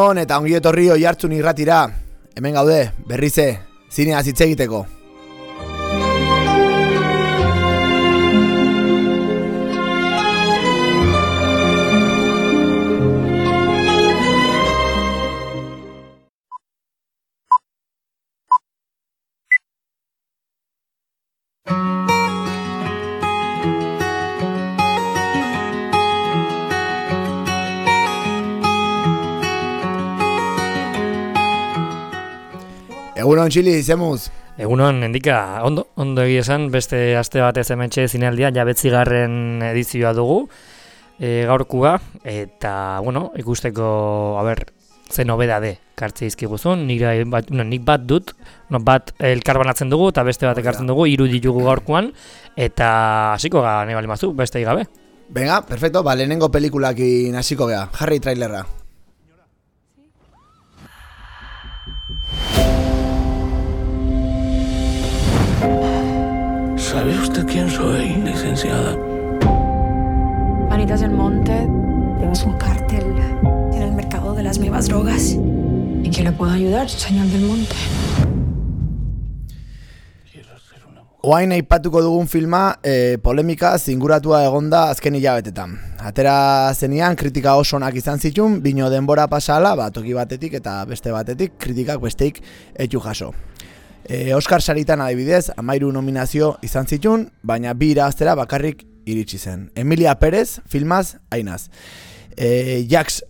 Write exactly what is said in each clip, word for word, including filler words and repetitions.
Egunon eta ongi etorri Oihartzun irratira. Hemen gaude, berrize, zineaz hitz egiteko. Egunon Txili, zemuz? Egunon, endika, ondo, ondo egia esan, beste aste batez hementxe zinealdia, jabetzigarren edizioa dugu, e, gaurkua, eta, bueno, ikusteko, a ber, ze nobedade kartze izkiguzun, nire, bat, no, nik bat dut, no, bat elkarbanatzen dugu, eta beste bat ekartzen dugu, hiru ditugu gaurkuan, eta hasiko ga, nahi bali mazu, beste gabe. Venga, perfecto, ba, lehenengo pelikulakin hasiko gea, jarri trailerra. ¿Sabe usted quién soy, licenciada? Vanitas del Monte, tenemos un cártel en el mercado de las nuevas drogas. ¿Y quién le puede ayudar, señor del Monte? Oain aipatuko dugun filma, eh, polemika zinguratua egonda azken hilabetetan. Atera zenian kritika oso onak izan zitun, bino denbora pasala, ba, toki batetik eta beste batetik, kritikak besteik etxu jaso. E, Oscar saritan adibidez, amairu nominazio izan zitun, baina bi irabaztera bakarrik iritsi zen. Emilia Perez, filmaz, ainaz. E, Jax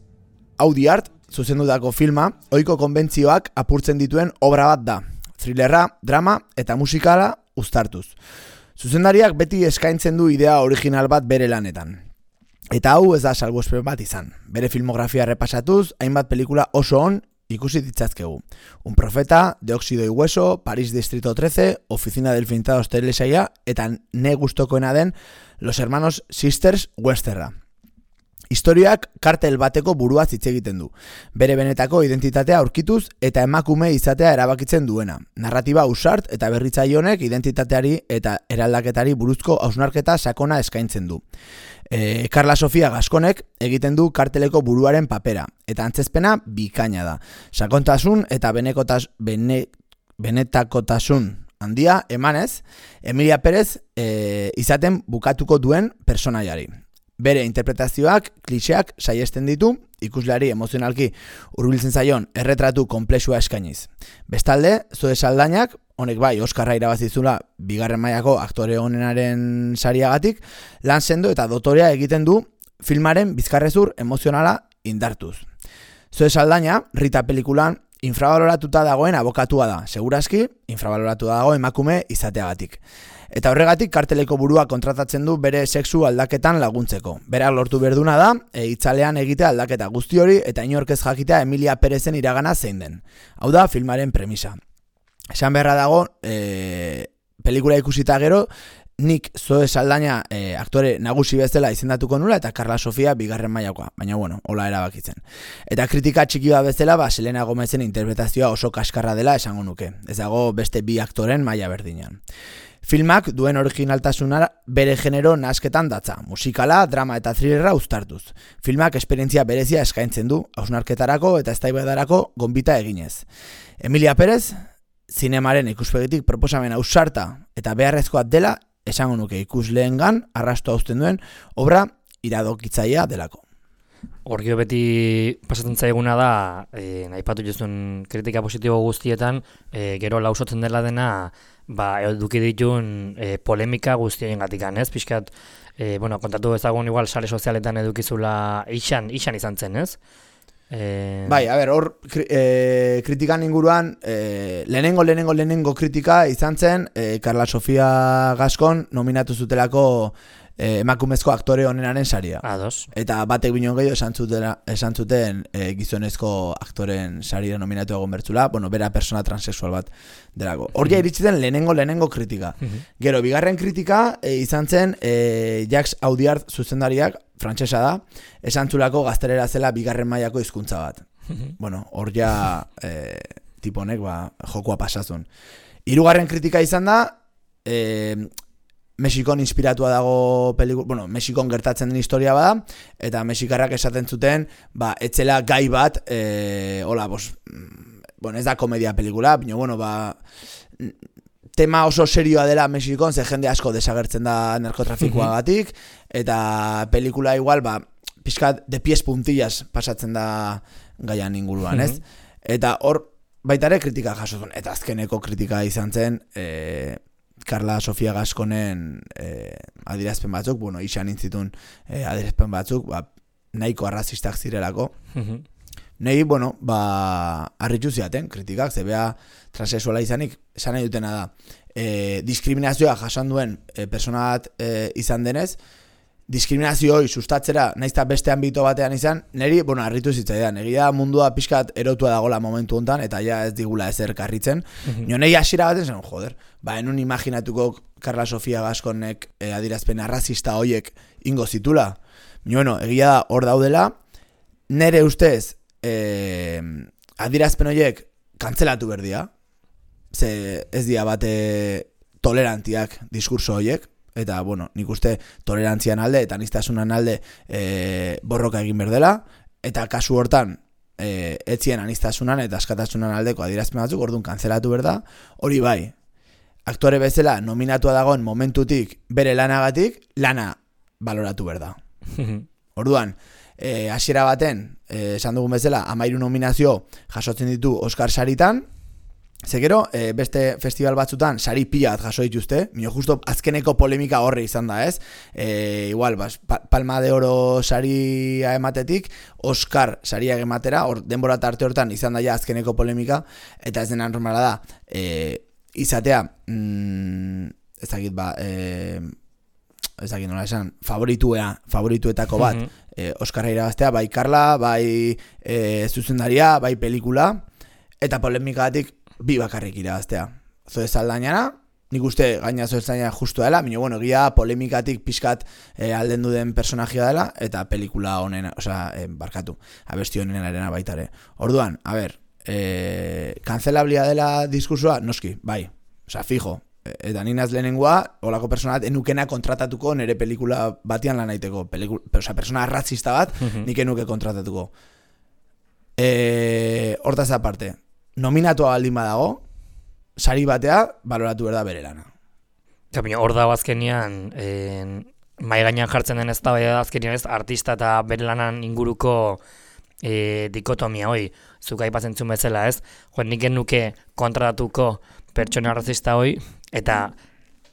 Audiard, zuzendutako filma, ohiko konbentzioak apurtzen dituen obra bat da. Thrillerra, drama eta musikala uztartuz. Zuzendariak beti eskaintzen du idea original bat bere lanetan. Eta hau ez da salbuespen bat izan. Bere filmografia repasatuz, hainbat pelikula oso on ikusi ditzazkegu. Un profeta, De óxido y hueso, París Distrito trece, Oficina del Fintados telesaia eta ne gustokoena den Los Hermanos Sisters Westerra. Historiak kartel bateko buruaz hitz egiten du. Bere benetako identitatea aurkituz eta emakume izatea erabakitzen duena. Narratiba ausart eta berritzaile honek identitateari eta eraldaketari buruzko hausnarketa sakona eskaintzen du. E, Carla Sofia Gaskonek egiten du karteleko buruaren papera, eta antzezpena bikaina da. Sakontasun eta benekotas, bene, benetakotasun handia emanez, Emilia Perez e, izaten bukatuko duen personaiari. Bere interpretazioak, kliseak saiesten ditu, ikusleari emozionalki hurbiltzen zaion erretratu konplexua eskainiz. Bestalde, Zoe Saldainak, honek bai Oskarra irabazizula bigarren mailako aktore onenaren sariagatik, lan sendo eta dotorea egiten du filmaren bizkarrezur emozionala indartuz. Zoe Saldaina, Rita pelikulan infrabaloratuta dagoen abokatua da, segurazki infrabaloratuta dago emakume izateagatik. Eta horregatik karteleko burua kontratatzen du bere sexu aldaketan laguntzeko. Berak lortu berduna da, e, itzalean egitea aldaketa guzti hori eta inork ez jakitea Emilia Perezen iragana zein den. Hau da filmaren premisa. Esan beharra dago, e, pelikula ikusita gero, nik Zoe Saldaina e, aktore nagusi bezala izendatuko nula eta Carla Sofia bigarren mailakoa, baina bueno, hola erabakitzen. Eta kritika txiki bat bezala, ba, Selena Gomezen interpretazioa oso kaskarra dela esango nuke. Ez dago beste bi aktoren maila berdinean. Filmak duen originaltasuna bere genero nasketan datza, musikala, drama eta thrillerra uztartuz. Filmak esperientzia berezia eskaintzen du, hausnarketarako eta eztabaidarako gonbita eginez. Emilia Perez, zinemaren ikuspegitik proposamen ausarta eta beharrezkoa dela, esango nuke ikusleengan arrasto uzten duen obra iradokitzailea delako. Horgio beti pasatzen zaiguna da, e, nahipatu jozun kritika positibo guztietan, e, gero lausotzen dela dena, ba, eduki ditun e, polemika guztien gatikan, ez? Piskat, e, bueno, kontatu ezagun igual sare sozialetan edukizula ixan, ixan izan zen, ez? E... Bai, a ber, hor kri, e, kritikan inguruan, e, lehenengo, lehenengo, lehenengo kritika izan zen, e, Carla Sofia Gaskon nominatu zutelako e, emakumezko aktore onenaren saria. Ados. Eta batek binon gehiago esan, zutela, esan zuten e, gizonezko aktoren saria nominatu egon bertzula, bueno, bera persona transexual bat delako. Hor ja iritsi den lehenengo, lehenengo kritika. Gero, bigarren kritika e, izan zen e, Jax Audiard zuzendariak, frantsesa da, esantzulako gaztelera zela bigarren mailako hizkuntza bat. Bueno, hor ja e, tiponek ba, jokoa pasazun. Hirugarren kritika izan da, e, Mexikon inspiratua dago pelikula, bueno, Mexikon gertatzen den historia bada, eta mexikarrak esaten zuten, ba, etzela gai bat, e, hola, bos, bueno, ez da komedia pelikula, baina, bueno, ba, tema oso serioa dela Mexikon, ze jende asko desagertzen da narkotrafikoagatik, eta pelikula igual, ba, pixkat de pies puntillas pasatzen da gaian inguruan, ez? Eta hor, baita ere kritika jasotun, eta azkeneko kritika izan zen, e, Carla Sofia Gasconen eh, adierazpen batzuk, bueno, izan intzitun eh, adierazpen batzuk, ba, nahiko arrazistak zirelako. Uh-huh. Nei, bueno, ba, harritu ziaten kritikak, zebea transexuala izanik, esan nahi dutena da, eh, diskriminazioa jasan duen eh, persona bat eh, izan denez, diskriminazioi sustatzera, naizta beste ambito batean izan, niri, bueno, harritu zitzaidan, egia mundua pixkat erotua dagola momentu hontan, eta ja ez digula ezer karritzen. Mm-hmm. Nio nahi hasiera baten zen, joder, ba, enun imaginatuko Carla Sofia Gasconek eh, adirazpen arrazista hoiek ingo zitula. Bueno, egia da hor daudela, nere ustez eh, adirazpen hoiek kantzelatu berdia, ze ez dia bate tolerantiak diskurso hoiek, eta, bueno, nik uste tolerantzian alde eta aniztasunan alde e, borroka egin berdela, eta kasu hortan e, etzien aniztasunan eta askatasunan aldeko adierazpen batzuk, orduan kantzelatu berda, hori bai, aktore bezala nominatua dagoen momentutik bere lanagatik, lana baloratu berda. Orduan, e, hasiera baten, e, esan dugun bezala, hamairu nominazio jasotzen ditu Oscar saritan, Zegero, e, beste festival batzutan sari pila bat jaso dituzte, mino justo azkeneko polemika horre izan da, ez? E, igual, bas, pa, Palma de Oro saria ematetik, Oscar saria ematera, or, denbora tarte hortan izan da ja azkeneko polemika, eta ez dena normala da, e, izatea, mm, ez dakit ba, e, ez dakit nola esan, favorituea, favorituetako bat, mm-hmm. e, Oscarra irabaztea, bai Carla, bai e, zuzendaria, bai pelikula, eta polemikatik bi bakarrik irabaztea. Zoe Saldañana, nik uste gaina Zoe Saldañana justu dela, baina, bueno, egia polemikatik pixkat e, alden duden personajia dela, eta pelikula honen, osea, e, barkatu, abesti honen arena baitare. Orduan, a ber, e, kanzelablia dela diskursua, noski, bai, osea, fijo, e, eta ninaz lehenengoa, holako personat, enukena kontratatuko nere pelikula batian lan aiteko, osea, persona ratzista bat, nik enuke kontratatuko. E, hortaz aparte, nominatua baldin badago, sari batea baloratu berda bere lana. Hor dago azkenian, eh, mai gainean jartzen den ez da azkenian ez, artista eta bere lanan inguruko eh, dikotomia hoi, zuk aipatzen zuen bezala ez, jo, nik genuke kontratatuko pertsona arrazista hoi, eta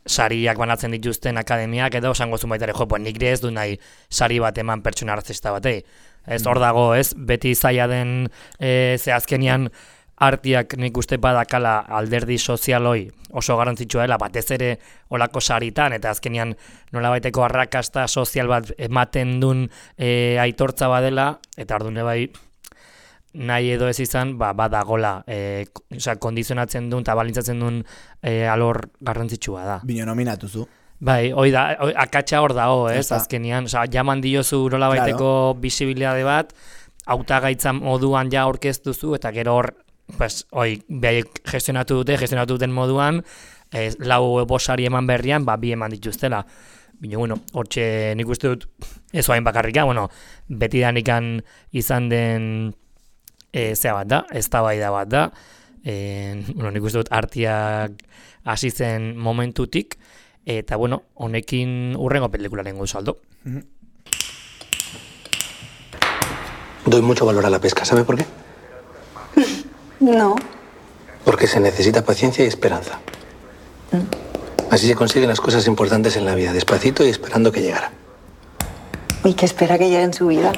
sariak banatzen dituzten akademiak, edo esango zuen baitare, jo, pues nik ez du nahi sari bat eman pertsona arrazista batei. Ez hor dago ez, beti zaila den eh, ze azkenian artiak nik uste badakala alderdi sozialoi oso garrantzitsua dela, batez ere olako saritan, eta azkenean nolabaiteko arrakasta sozial bat ematen duen e, aitortza badela, eta ardune bai nahi edo ez izan, ba, badagola, e, osea, kondizionatzen duen eta balintzatzen duen e, alor garrantzitsua da. Bino nominatu zu. Bai, hoi da, oi, akatsa hor dago, ez, azkenean, osea, jaman diozu nolabaiteko claro. Bisibilitate bat, hautagaitza moduan ja aurkeztuzu, eta gero hor pues, oi, behaiek gestionatu dute, gestionatu duten moduan, eh, lau bosari eman berrian, ba, bi eman dituztela. Bino, bueno, hortxe nik uste dut, ez hain bakarrika, bueno, beti danikan izan den e, zea bat da, eztabaida bat da, e, bueno, nik uste dut artiak hasi zen momentutik, eta, bueno, honekin urrengo pelikularen gauza aldo. Doy mucho valor a la pesca, ¿sabe por qué? No. Porque se necesita paciencia y esperanza. ¿Mm? Así se consiguen las cosas importantes en la vida, despacito y esperando que llegara. ¿Y qué espera que llegue en su vida?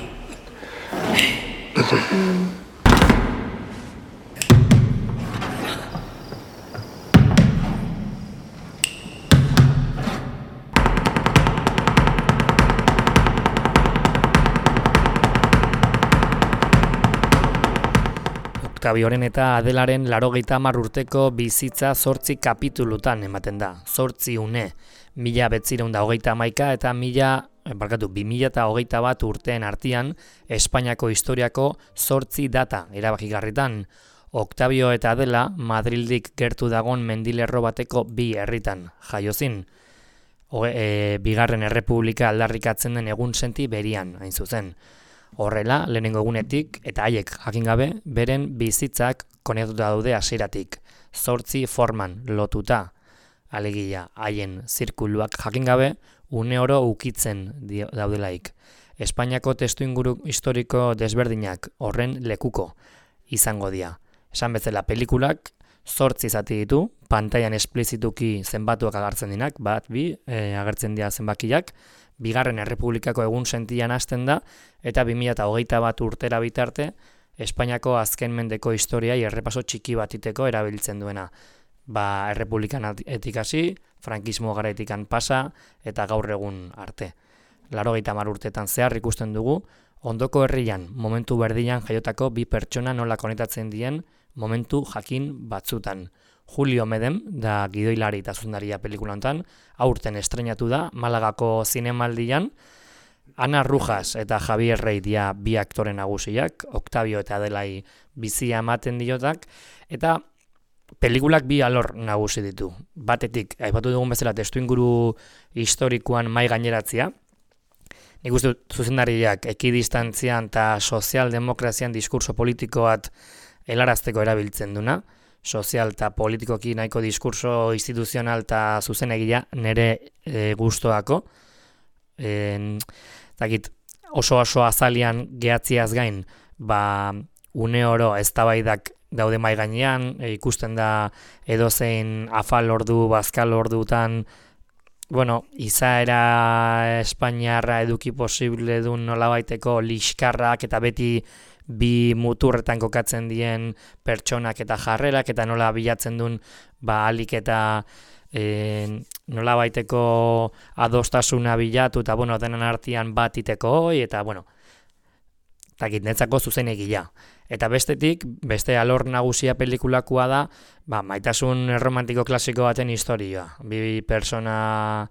Octavioren eta Adelaren laurogeita hamar urteko bizitza zortzi kapitulutan ematen da. Zortzi une, mila bederatziehun eta hogeita hamaika eta mila, barkatu, bi mila eta hogeita bat urteen artean Espainiako historiako zortzi data erabakigarritan. Octavio eta Adela Madrildik gertu dagon mendilerro bateko bi herritan jaiozin. e, bigarren errepublika aldarrikatzen den egun senti berian, hain zuzen. Horrela, lehenengo egunetik, eta haiek jakin gabe, beren bizitzak konektuta daude hasieratik, zortzi forman lotuta, alegia haien zirkuluak jakin gabe, une oro ukitzen daudelaik. Espainiako testuinguru historiko desberdinak horren lekuko izango dira. Esan bezala pelikulak zortzi zati ditu, pantailan esplizituki zenbatuak agertzen dinak, bat, bi, e, agertzen dira zenbakiak, bigarren errepublikako egun sentian hasten da, eta bi mila hogeita bat urtera bitarte, Espainiako azken mendeko historiai errepaso txiki batiteko erabiltzen duena. Ba, errepublikan etikasi, frankismo garaetikan pasa, eta gaur egun arte. Laurogeita hamar urtetan zehar ikusten dugu, ondoko herrian, momentu berdinan jaiotako bi pertsona nola konektatzen dien momentu jakin batzutan. Julio Medem, da gidoilari eta zuzendaria pelikula honetan, aurten estreinatu da, Malagako zinemaldian, Ana Rujas eta Javier Rey dia bi aktore nagusiak, Octavio eta Adelai bizia ematen diotak, eta pelikulak bi alor nagusi ditu. Batetik, aipatu dugun bezala testuinguru historikoan mai gaineratzea, nik uste zuzendariak ekidistantzian eta sozialdemokrazian diskurso politiko bat helarazteko erabiltzen duna, sozial eta politikoki nahiko diskurso instituzional eta zuzenegia nire e, gustoako, e, dakit, oso oso azalian gehatziaz gain, ba, une oro eztabaidak daude mai gainean, e, ikusten da edozein afal ordu, bazkal ordutan, bueno, izaera espainiarra eduki posible duen nolabaiteko liskarrak eta beti bi muturretan kokatzen dien pertsonak eta jarrerak eta nola bilatzen duen ba alik eta e, nolabaiteko adostasuna bilatu eta bueno, denan artean bat iteko hoi eta bueno, takit netzako zuzenegila. Eta bestetik, beste alor nagusia pelikulakoa da, ba, maitasun romantiko klasiko baten historia. Bi persona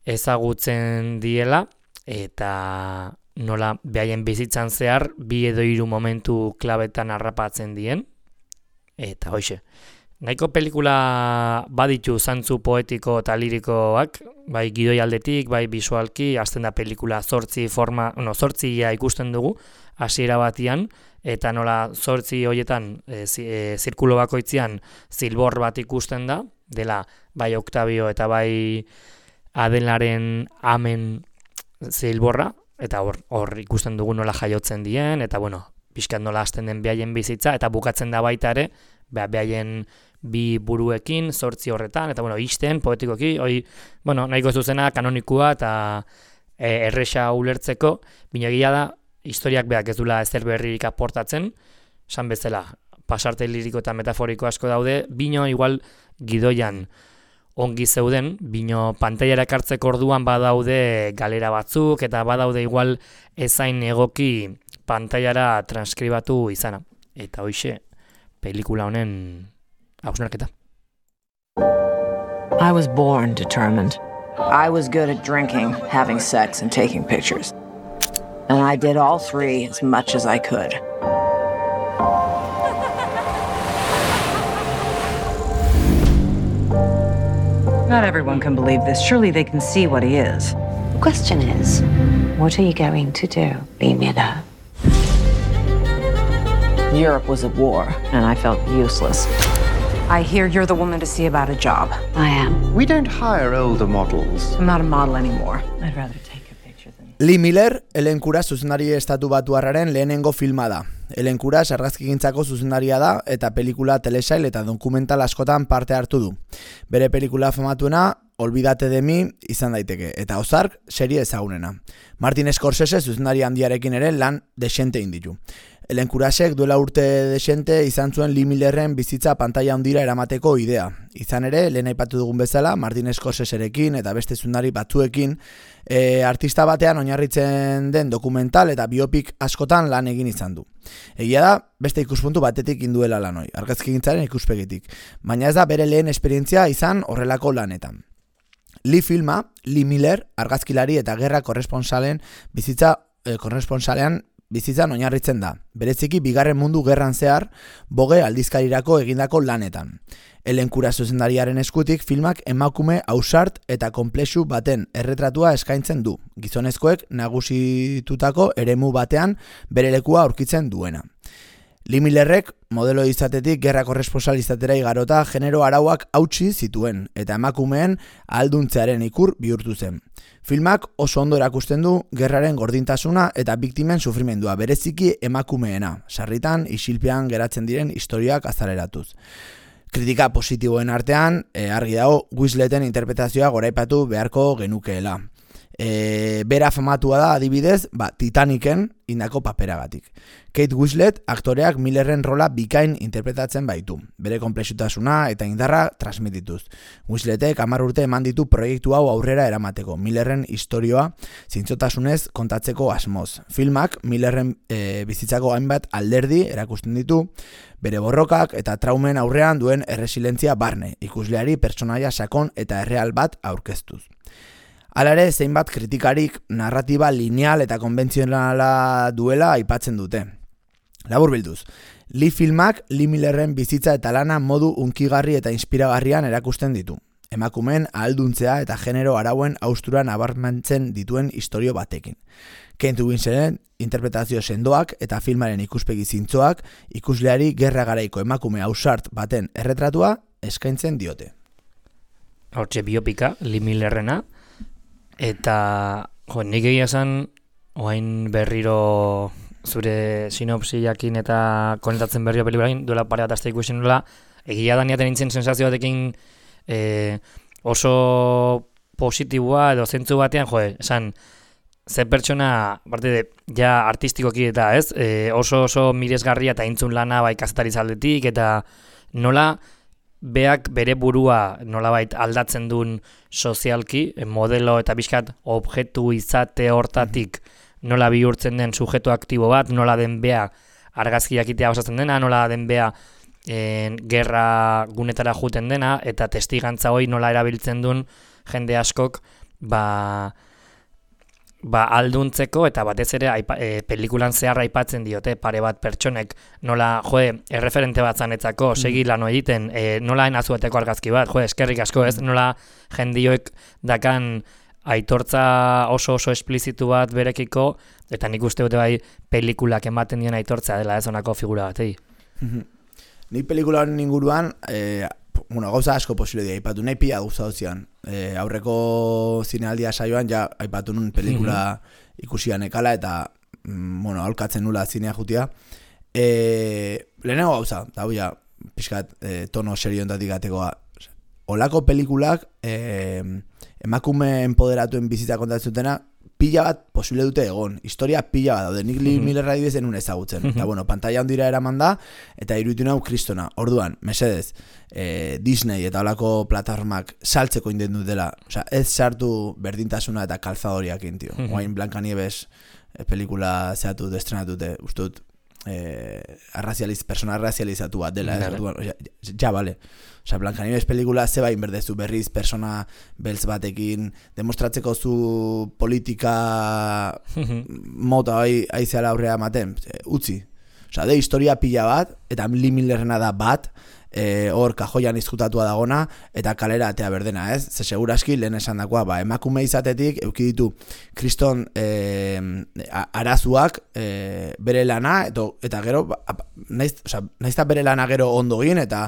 ezagutzen diela, eta nola behaien bizitzan zehar, bi edo hiru momentu klabetan harrapatzen dien. Eta hoxe, nahiko pelikula baditu zantzu poetiko eta lirikoak, bai gidoi aldetik, bai bisualki, hasten da pelikula zortzi forma, no, zortzia ikusten dugu, hasiera batian, eta nola zortzi horietan e, zi, e, zirkulo bakoitzean zilbor bat ikusten da, dela bai Octavio eta bai Adelaren amen zilborra, eta hor, hor ikusten dugu nola jaiotzen dien, eta bueno, pixkat nola hasten den behaien bizitza, eta bukatzen da baita ere, behaien bi buruekin, zortzi horretan, eta bueno, isten, poetikoki, hoi, bueno, nahiko zuzena, kanonikua, eta e, erresa ulertzeko, binagia da, historiak beak ez dula ezer berririk aportatzen, esan bezala, pasarte liriko eta metaforiko asko daude, bino igual gidoian ongi zeuden, bino pantailara ekartzeko orduan badaude galera batzuk, eta badaude igual ezain egoki pantailara transkribatu izana. Eta hoixe, pelikula honen hausnarketa. I was born determined. I was good at drinking, having sex, and taking pictures. And I did all three as much as I could. Not everyone can believe this. Surely they can see what he is. The question is, what are you going to do, Limina? Europe was at war, and I felt useless. I hear you're the woman to see about a job. I am. We don't hire older models. I'm not a model anymore. I'd rather take a picture than... Lee Miller, Ellen Kuras zuzendari estatu batuarraren lehenengo filma da. Ellen Kuras argazkigintzako zuzendaria da eta pelikula telesail eta dokumental askotan parte hartu du. Bere pelikula famatuena Olvídate de mí izan daiteke, eta Ozark serie ezagunena. Martin Scorsese zuzendari handiarekin ere lan desente inditu. Ellen Kurasek duela urte desente izan zuen Lee Millerren bizitza pantaila handira eramateko idea. Izan ere, lehen aipatu dugun bezala, Martin Scorseserekin eta beste zuzendari batzuekin e, artista batean oinarritzen den dokumental eta biopik askotan lan egin izan du. Egia da, beste ikuspuntu batetik induela lanoi, argazkigintzaren ikuspegitik, baina ez da bere lehen esperientzia izan horrelako lanetan. Lee filma, Lee Miller, argazkilari eta gerra korresponsalen bizitza, eh, korresponsalean bizitzan oinarritzen da, bereziki bigarren mundu gerran zehar Vogue aldizkarirako egindako lanetan. Ellen Kura zuzendariaren eskutik filmak emakume ausart eta konplexu baten erretratua eskaintzen du, gizonezkoek nagusitutako eremu batean bere lekua aurkitzen duena. Lee Millerrek modelo izatetik gerra korresponsal izatera igarota genero arauak hautsi zituen eta emakumeen ahalduntzearen ikur bihurtu zen. Filmak oso ondo erakusten du gerraren gordintasuna eta biktimen sufrimendua, bereziki emakumeena, sarritan isilpean geratzen diren historiak azaleratuz. Kritika positiboen artean, e, argi dago, Winsleten interpretazioa goraipatu beharko genukeela. E, bera famatua da adibidez, ba, Titaniken indako paperagatik. Kate Winslet aktoreak Millerren rola bikain interpretatzen baitu, bere konplexutasuna eta indarra transmitituz. Winsletek hamar urte eman ditu proiektu hau aurrera eramateko, Millerren istorioa zintzotasunez kontatzeko asmoz. Filmak Millerren e, bizitzako hainbat alderdi erakusten ditu, bere borrokak eta traumen aurrean duen erresilentzia barne, ikusleari pertsonaia sakon eta erreal bat aurkeztuz. Hala ere, zeinbat kritikarik narratiba lineal eta konbentzionala duela aipatzen dute. Labur bilduz, Lee filmak Lee Millerren bizitza eta lana modu unkigarri eta inspiragarrian erakusten ditu. Emakumeen ahalduntzea eta genero arauen haustura nabarmentzen dituen istorio batekin. Kate Winsleten interpretazio sendoak eta filmaren ikuspegi zintzoak ikusleari gerra garaiko emakume ausart baten erretratua eskaintzen diote. Hortxe biopika, Lee Millerrena, eta jo, nik egia esan, oain berriro zure sinopsiakin eta konetatzen berriro pelikulakin, duela pare bat aste ikusten nola, egia da niaten nintzen sensazio batekin e, oso positiboa edo zentzu batean, jo, esan, ze pertsona, parte de, ja artistikoki eta ez, e, oso oso miresgarria eta intzun lana bai kazetariz aldetik, eta nola beak bere burua nolabait aldatzen duen sozialki, modelo eta bizkat objektu izate hortatik nola bihurtzen den sujeto aktibo bat, nola den bea argazkiak itea osatzen dena, nola den bea en, gerra gunetara juten dena, eta testigantza hori nola erabiltzen duen jende askok ba, ba alduntzeko, eta batez ere aipa, e, pelikulan zehar aipatzen diote pare bat pertsonek nola, joe, erreferente bat zanetzako, segi lano egiten, e, nola enazueteko argazki bat, joe, eskerrik asko ez, nola jendioek dakan aitortza oso oso esplizitu bat berekiko, eta nik uste dute bai pelikulak ematen dien aitortza dela ez honako figura bat, egi. Nik pelikula honen inguruan, e, bueno, gauza asko posible dira, aipatu nahi pila gauza dozian. E, aurreko zinealdia saioan, ja, aipatu nun pelikula ikusian ekala, eta, mm, bueno, aholkatzen nula zinea jutia. E, lehenengo gauza, da ja, pixkat, e, tono serio entatik atekoa. Olako pelikulak, e, emakume empoderatuen bizitza kontatzutena, pila bat posible dute egon, historia pila bat daude, nik Lee Millerra dibez enun ezagutzen, eta bueno, pantalla handira eraman da, eta iruditu nahu kristona, orduan, mesedez, eh, Disney eta olako plataformak saltzeko inden dutela, osea, ez sartu berdintasuna eta kalzadoriak intio, guain Blancanieves eh, pelikula zehatu destrenatute, uste dut, eh, arrazializ, persona arrazializatu bat dela, ez, orduan, ja, ja, bale, osea, Blancanieves pelikula zeba inberdezu berriz persona beltz batekin demostratzeko zu politika mota hoi aizeala aurrea ematen, utzi. Osea, de historia pila bat, eta Lee Millerrena da bat, e, hor kajoian izkutatua dagona, eta kalera atea berdena, ez? Ze seguraski lehen esan dakoa, ba, emakume izatetik, euki ditu kriston e, arazuak e, bere lana, eto, eta gero, ba, naiz, osea, naizta bere lana gero ondo gin, eta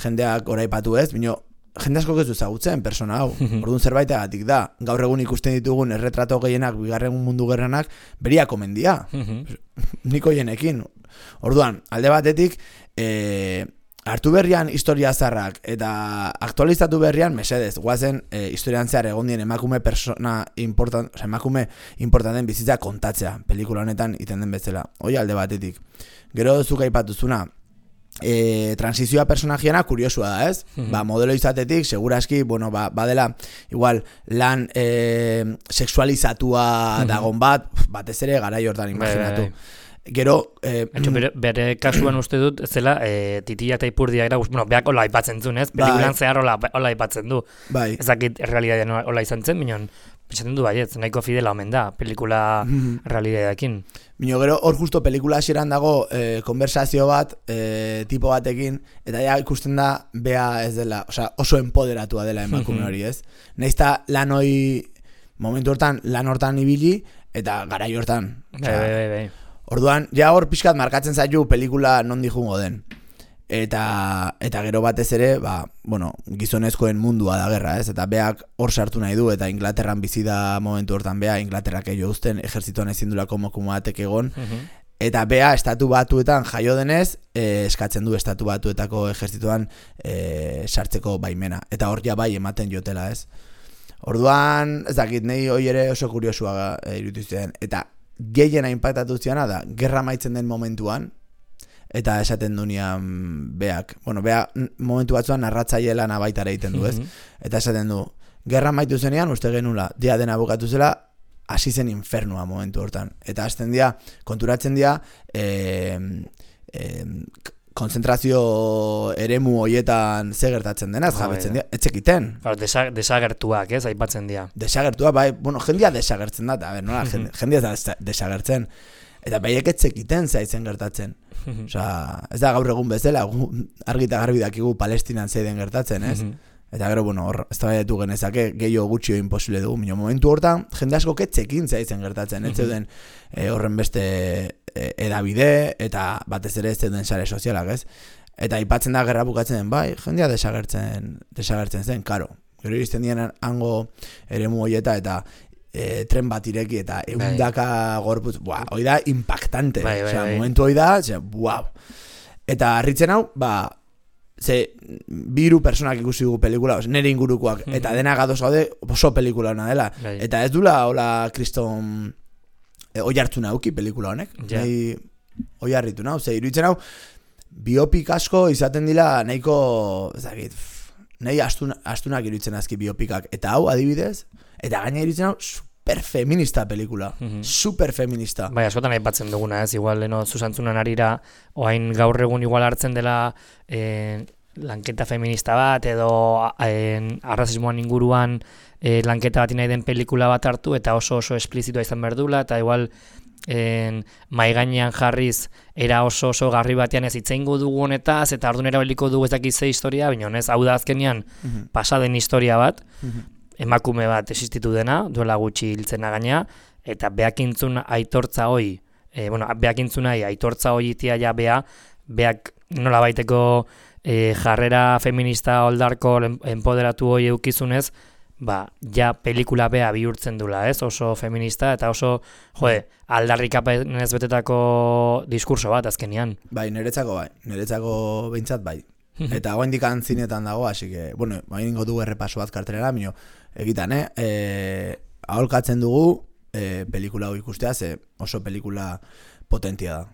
jendeak oraipatu ez, bino, jende asko ez du ezagutzen persona hau, orduan zerbaitegatik da, gaur egun ikusten ditugun erretrato gehienak, bigarren mundu gerranak, beria komendia, niko jenekin. Orduan, alde batetik, e, hartu berrian historia zarrak eta aktualizatu berrian, mesedez, guazen e, historian zehar egon dien emakume persona important, o sea, emakume importanten bizitza kontatzea, pelikula honetan iten den bezala. Hoi alde batetik. Gero zuk aipatuzuna, E, transizioa personajiana kuriosua da, ez? Mm-hmm. Ba, modelo izatetik, seguraski, bueno, ba, badela, igual, lan e, sexualizatua mm-hmm. dagon bat, batez ere garai hortan imaginatu. Gero, eh, Entxo, bere, bere kasuan uste dut, zela, e, titia eta ipurdia era, bueno, beak hola aipatzen zuen, ez? Pelikulan zehar hola, hola aipatzen du. Bai. Ezakit, errealitatean hola izan zen, minon, esaten du baietz, nahiko fidela omen da, pelikula realidadeakin. Bino gero, hor justo pelikula hasieran dago eh, konversazio bat eh, tipo batekin, eta ja ikusten da bea ez dela, osea, oso empoderatua dela emakume hori, ez? Naizta lan hoi, momentu hortan, lan hortan ibili, eta garai hortan. Bai, bai, bai, bai. Orduan, ja hor pixkat markatzen zaitu pelikula non dijungo den. Eta, eta gero batez ere, ba, bueno, gizonezkoen mundua da gerra, ez? Eta beak hor sartu nahi du, eta Inglaterran bizi da momentu hortan bea, Inglaterrak eio uzten, ejerzituan ezin dulako mokumo batek egon, eta bea estatu batuetan jaio denez, eh, eskatzen du estatu batuetako ejerzituan eh, sartzeko baimena. Eta hor ja bai ematen jotela, ez? Orduan, ez dakit, nahi hoi ere oso kuriosua e, irutizten. Eta gehiena inpaktatu ziana da, gerra maitzen den momentuan, eta esaten dunean beak, bueno, bea momentu batzuan narratzaile lana baita ere egiten du, ez? Eta esaten du, gerra maitu zenean, uste genula, dia dena bukatu zela, hasi zen infernua momentu hortan. Eta hasten dira, konturatzen dira, eh, eh, konzentrazio eremu hoietan ze gertatzen denaz, oh, jabetzen dira, etxekiten. Claro, desa, desagertuak, ez, aipatzen dira. Desagertuak, bai, bueno, jendia desagertzen da, a ber, nola, jendia ez da desagertzen. Eta baiek etxekiten zaitzen gertatzen. Osea, ez da gaur egun bezala, argi eta garbi dakigu Palestinan zeiden gertatzen, ez? Eta gero, bueno, hor, ez da baiatu genezake, gehiago gutxio imposible dugu. Mino, momentu hortan, jende asko ketxekin zaitzen gertatzen, ez zeuden e, horren beste e, edabide, eta batez ere ez zeuden sare sozialak, ez? Eta aipatzen da gerra bukatzen den, bai, jendea desagertzen, desagertzen zen, karo. Gero iristen dian hango eremu hoieta, eta E, tren bat ireki eta eundaka gorputz, buah, hoi da impactante, bai, bai, osea, bai. Momentu hoi da, osea, buau. Eta harritzen hau, ba, ze, biru personak ikusi dugu pelikula, oz, nire ingurukoak, mm-hmm. eta dena gadoz gaude oso pelikula hona dela. Bai. Eta ez dula, hola, kriston, e, oi hartu nauki pelikula honek, ja. Nahi, oi harritu nau, ze, iruditzen hau, biopik asko izaten dila nahiko, ez dakit, nahi astun, astunak iruditzen azki biopikak, eta hau, adibidez, eta gaina iruditzen hau, superfeminista pelikula, mm-hmm. superfeminista. Bai, askotan aipatzen duguna, ez, igual, leno, zuzantzunan arira, oain gaur egun igual hartzen dela eh, lanketa feminista bat, edo eh, arrazismoan inguruan eh, lanketa bat nahi den pelikula bat hartu, eta oso oso esplizitua izan berdula, eta igual en, mai gainean jarriz era oso oso garri batean ez itzeingo dugu honetaz, eta ardun erabiliko dugu ez dakiz ze historia, baina honez, hau da azkenean mm-hmm. pasaden historia bat, mm-hmm. emakume bat existitu dena, duela gutxi hiltzena gaina, eta beakintzun aitortza hoi, e, bueno, beakintzun nahi aitortza hoi itia ja bea, beak nola baiteko e, jarrera feminista oldarko empoderatu hoi eukizunez, ba, ja pelikula bea bihurtzen dula, ez? Oso feminista eta oso, jode, aldarrikapenez betetako diskurso bat azkenean. Bai, niretzako bai, niretzako behintzat bai. Eta hauen dikan zinetan dago, así que, bueno, hain ingo dugu errepaso bat kartelera, minio, egitan, eh? E, aholkatzen dugu e, pelikula hau ikustea, ze oso pelikula potentia da.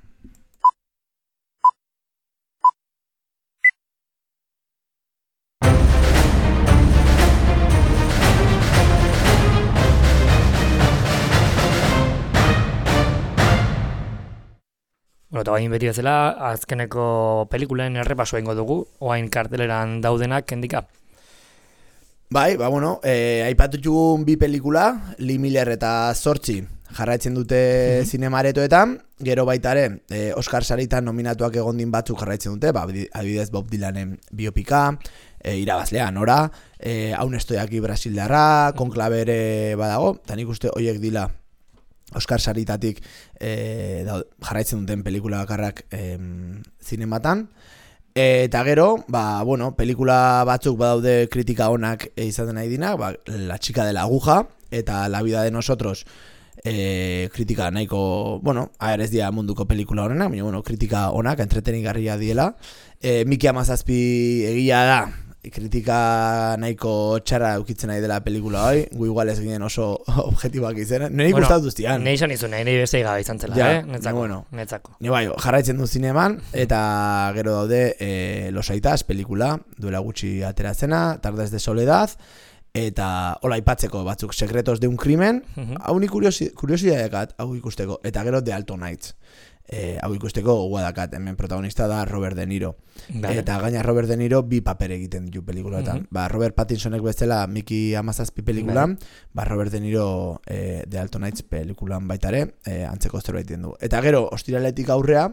Bueno, eta bain beti bezala, azkeneko pelikulaen errepaso egingo dugu, oain karteleran daudenak, kendika. Bai, ba, bueno, eh, aipatutugun bi pelikula, Lee Miller eta Zortzi, jarraitzen dute mm-hmm. zinemaretoetan, gero baitare, eh, Oscar saritan nominatuak egondin batzuk jarraitzen dute, ba, adibidez Bob Dylanen biopika, eh, irabazlea, nora, eh, haun estoiaki brasildarra, konklabere badago, eta nik uste hoiek dila, Oscar saritatik e, da, jarraitzen duten pelikula bakarrak e, zinematan. E, eta gero, ba, bueno, pelikula batzuk badaude kritika onak e, izaten nahi dinak, ba, La chica de la aguja eta La vida de nosotros e, kritika nahiko, bueno, aher ez dira munduko pelikula honenak, baina, bueno, kritika onak, entretenigarria diela. E, Miki Hamazazpi egia da, kritika nahiko txarra eukitzen nahi dela pelikula hoi, gu igual ez ginen oso objetiboak izan, nire bueno, gustatu ztian. Nire izan izun, nire beste gabe izan zela, ja, eh? Netzako, bueno, netzako. Ni bai, jarraitzen du zineman, eta gero daude e, Los Aitas pelikula, duela gutxi ateratzena, Tardes de Soledad, eta hola aipatzeko batzuk, Secretos de un crimen, uh-huh. hau ni kuriosi, kuriosidadekat, hau ikusteko, eta gero The Alto Nights. E, hau ikusteko gogoa dakat, hemen protagonista da Robert De Niro. Vale. Eta gaina Robert De Niro bi paper egiten ditu pelikulatan. Mm-hmm. Ba, Robert Pattinsonek bezala Mickey hamazazpi pelikulan, vale. Ba, Robert De Niro e, The Alton Heights pelikulan baitare, e, antzeko zerbait du. Eta gero, ostiraletik aurrea,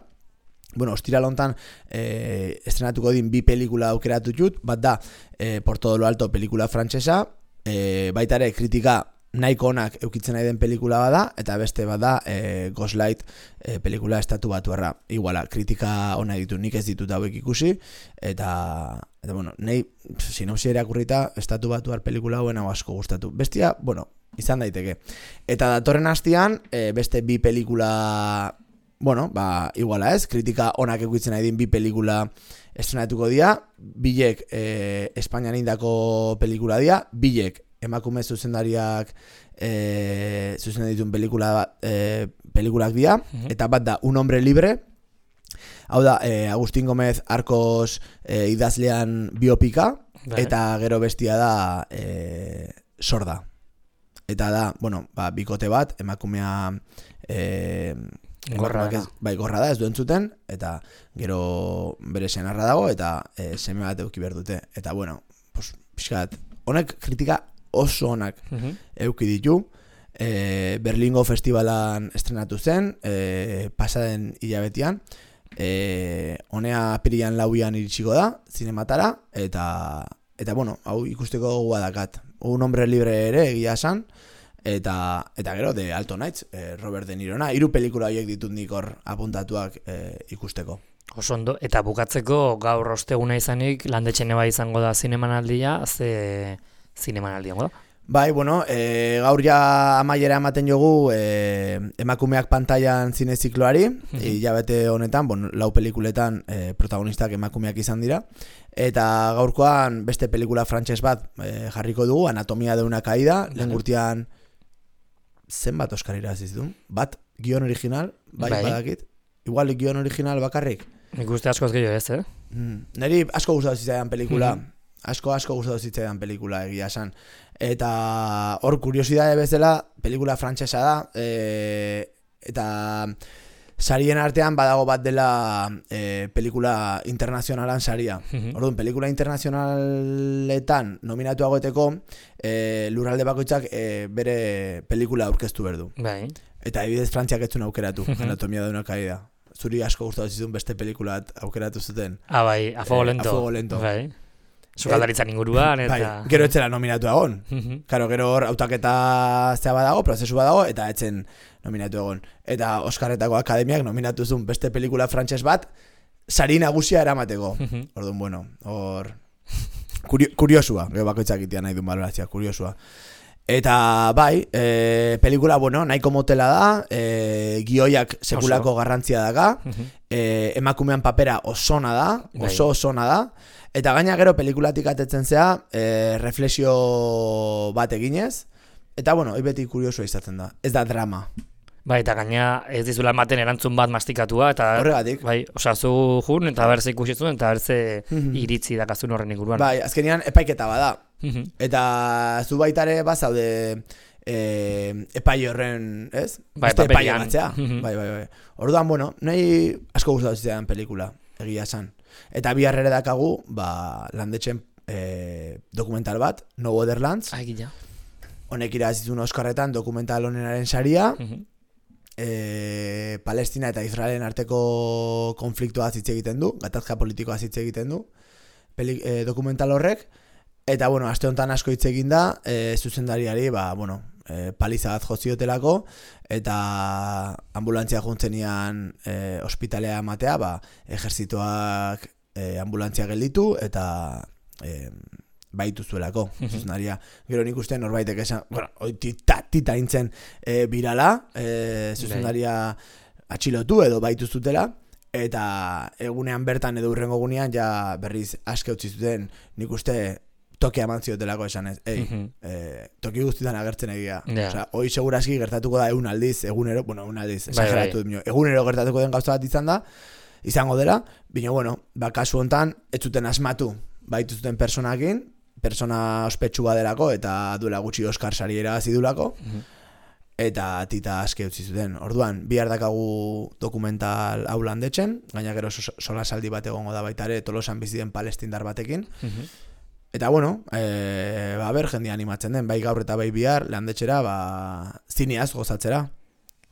bueno, ostiral hontan e, estrenatuko din bi pelikula aukeratu dut, bat da, e, Por todo lo alto pelikula frantsesa, e, baitare kritika nahiko onak eukitzen nahi den pelikula bada, eta beste bada e, Ghostlight e, pelikula estatu batuarra. Iguala, kritika ona ditu, nik ez ditut hauek ikusi, eta, eta bueno, nahi sinopsia irakurrita estatu batuar pelikula hauen hau asko gustatu. Bestia, bueno, izan daiteke. Eta datorren hastian, e, beste bi pelikula, bueno, ba, iguala ez, kritika onak eukitzen nahi din bi pelikula estrenatuko dira, bilek e, Espainian indako pelikula dira, bilek emakume zuzendariak e, zuzendan dituen pelikula, e, pelikulak dira, uh-huh. Eta bat da Un hombre libre, hau da e, Agustin Gomez Arcos e, idazlean biopika, bai. Eta gero bestia da e, Sorda. Eta da, bueno, ba, bikote bat, emakumea e, gorra da. Ez, bai, gorra da, ez duen zuten, eta gero bere senarra dago, eta e, seme bat euki behar dute. Eta bueno, pues, pixkat, honek kritika oso onak uh-huh. euki ditu. E, Berlingo festivalan estrenatu zen, e, pasaden hilabetean, e, honea apirian lauian iritsiko da, zinematara, eta, eta bueno, hau ikusteko gogoa dakat. Un hombre libre ere egia esan, eta, eta gero, The Alton Heights, e, Robert De Nirona, hiru pelikula horiek ditut nik hor apuntatuak e, ikusteko. Oso ondo, eta bukatzeko gaur osteguna izanik, landetxene bai izango da zinemanaldia, ze zinemanaldia da? Bai, bueno, e, gaur ja amaiera ematen jogu e, emakumeak pantailan zine zikloari, mm-hmm. Hilabete honetan, bon, lau pelikuletan e, protagonistak emakumeak izan dira, eta gaurkoan beste pelikula frantses bat e, jarriko dugu, Anatomia de una caída, mm-hmm. Lehen gurtian zenbat Oskar irabazi du? Bat gion original, bai, bai. Badakit, igual gion original bakarrik. Nik uste asko ez gehiago ez, eh? Mm, neri asko gustatu zitzaidan pelikula, mm-hmm. Asko, asko gustatu zitzaidan pelikula egia esan. Eta hor kuriosidade bezala, pelikula frantsesa da, e, eta sarien artean badago bat dela e, pelikula internazionalan saria. Mm-hmm. Orduan, pelikula internazionaletan nominatu agoteko, e, lurralde bakoitzak e, bere pelikula aurkeztu berdu. Bai. Eta ebidez Frantziak ez zuen aukeratu, Anatomia de una caída. Zuri asko gustatu zizun beste pelikulat aukeratu zuten. Ah, bai, A Fuego Lento. E, A Fuego Lento. Bai. Sukaldaritzan inguruan, eta... Bai, gero etzela nominatu egon. Karo, gero hor autaketa zea badago, prozesu badago, eta etzen nominatu egon. Eta Oskarretako Akademiak nominatu zuen beste pelikula frantses bat, sari nagusia eramateko. Orduan, bueno, hor... Kurio, kuriosua, gero bakoitzak itian nahi duen balorazia, kuriosua. Eta bai, e, pelikula, bueno, nahiko motela da, e, gioiak sekulako oso garrantzia daga, e, emakumean papera osona da, oso osona da, eta gaina gero pelikulatik atetzen zea, e, reflexio bat eginez, eta bueno, beti kuriosua izaten da, ez da drama. Bai, eta gaina ez dizula ematen erantzun bat mastikatua, eta horregatik. Bai, osazu jun, eta berze ikusitzun, eta berze iritzi dakazun horren inguruan. Bai, azkenean epaiketa bada. Eta zu baitare bazaude e, epai horren, ez? Bai, este epai paperian. ematzea. Bai, bai, bai. Orduan, bueno, nahi asko gustatu zitzaidan pelikula, egia esan. Eta bi harrere dakagu, ba, landetxen e, dokumental bat, No Borderlands. Ah, gila. Honek irabazizun Oskarretan dokumental honenaren saria. E, Palestina eta Israelen arteko konfliktoa hitz egiten du, gatazka politikoa hitz egiten du Peli, e, dokumental horrek. Eta, bueno, aste honetan asko hitz egin da, e, zuzendariari, ba, bueno, e, paliza bat joziotelako, eta ambulantzia juntzenian e, ospitalea ematea, ba, ejerzitoak e, ambulantzia gelditu, eta e, baitu zuelako, zuzendaria. Gero nik uste norbaitek esan, bueno, tita, tita intzen e, birala, e, zuzendaria atxilotu edo baitu zutela, eta egunean bertan edo urrengo gunean ja berriz aske utzi zuten, nik uste tokia eman ziotelako esan ez, ei, uh-huh. e, toki guztietan agertzen egia. Yeah. Osea, hoi segurazki gertatuko da egun aldiz, egunero, bueno, egun aldiz, esageratu dut, egunero gertatuko den gauza bat izan da, izango dela, bino, bueno, ba, kasu hontan, ez zuten asmatu, baitu zuten personakin, persona ospetsu badelako, eta duela gutxi Oskar sari irabazi dulako, uh-huh. eta tita aske utzi zuten. Orduan, bihar dakagu dokumental hau landetxen, gaina gero solasaldi bat egongo da baita ere Tolosan bizi den palestindar batekin. Uh-huh. Eta bueno, e, ba, ber, jendia animatzen den, bai gaur eta bai bihar landetxera, ba, zineaz gozatzera.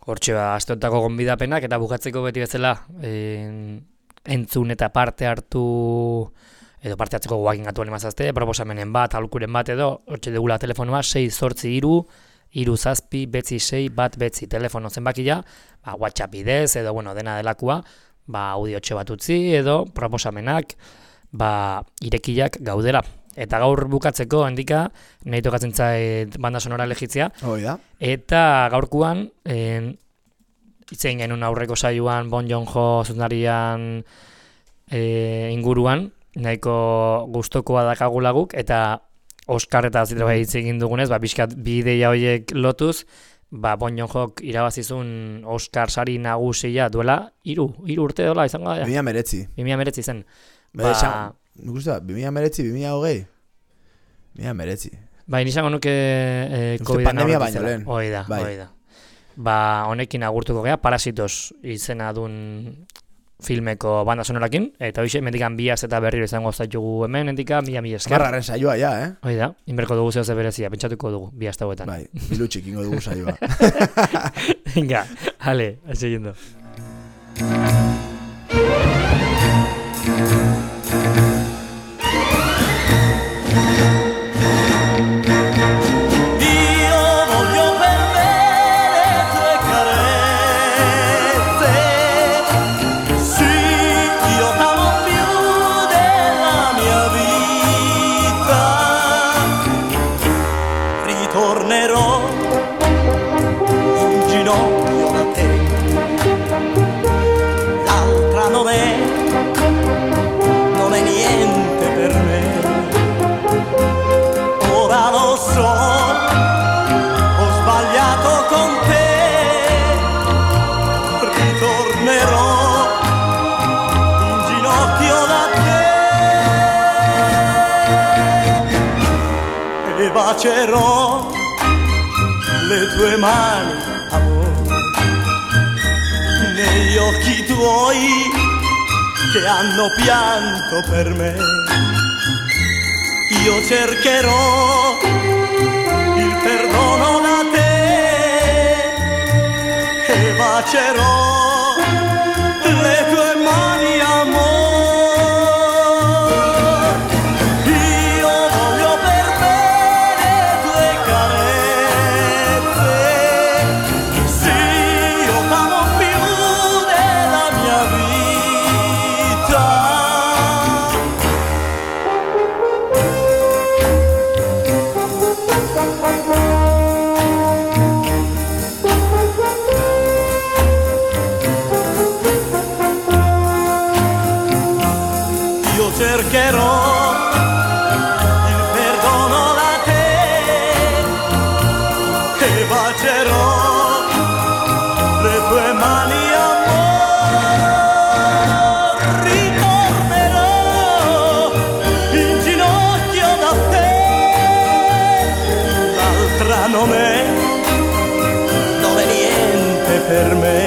Hortxe ba, asteotako gonbidapenak eta bukatzeko beti bezala en, entzun eta parte hartu edo parte hartzeko guakin gatu animazazte, proposamenen bat, aholkuren bat edo, hortxe degula telefonoa, sei zortzi iru, iru zazpi, betzi sei, bat betzi, telefono zenbakia, ba, WhatsApp bidez, edo, bueno, dena delakoa, ba, audiotxe bat utzi, edo, proposamenak, ba, irekiak gaudela. Eta gaur bukatzeko, handika, nahi tokatzen zait banda sonora legitzia. Hoi da. Eta gaurkuan, en, itzein genuen aurreko saioan, Bon Joon-ho zuzendarian e, inguruan, nahiko gustokoa dakagulaguk, eta Oscar eta zitra bai hitz egin dugunez, ba, bizkat bi ideia horiek lotuz, ba, Bon Joon-hok irabazizun Oscar sari nagusia duela, hiru, hiru urte dola izango da. Bimia meretzi. Bimia meretzi zen. Ba, nik uste da, bimia meretzi, bimia hogei. Bimia meretzi. Ba, inizango nuke eh, COVID pandemia baino lehen. Hoi da, bai. hoi da. Ba, honekin agurtuko gea, Parasitos izena dun filmeko banda sonorakin, eta hoxe, mendikan biaz eta berriro izango zaitugu hemen, endika, mila mila esker. Marraren saioa, ja, eh? Hoi da, inberko dugu zehose berezia, pentsatuko dugu, bi hasta huetan. Bai, bilutxik ingo dugu saioa. Venga, ale, siguiendo. Bacerò le tue mani, amore, negli occhi tuoi che hanno pianto per me. Io cercherò il perdono da te e bacerò le tue mani, amore. Cercherò il perdono da te e bacerò le tue mani, amore. Ritornerò in ginocchio da te, l'altra non è, non è niente per me.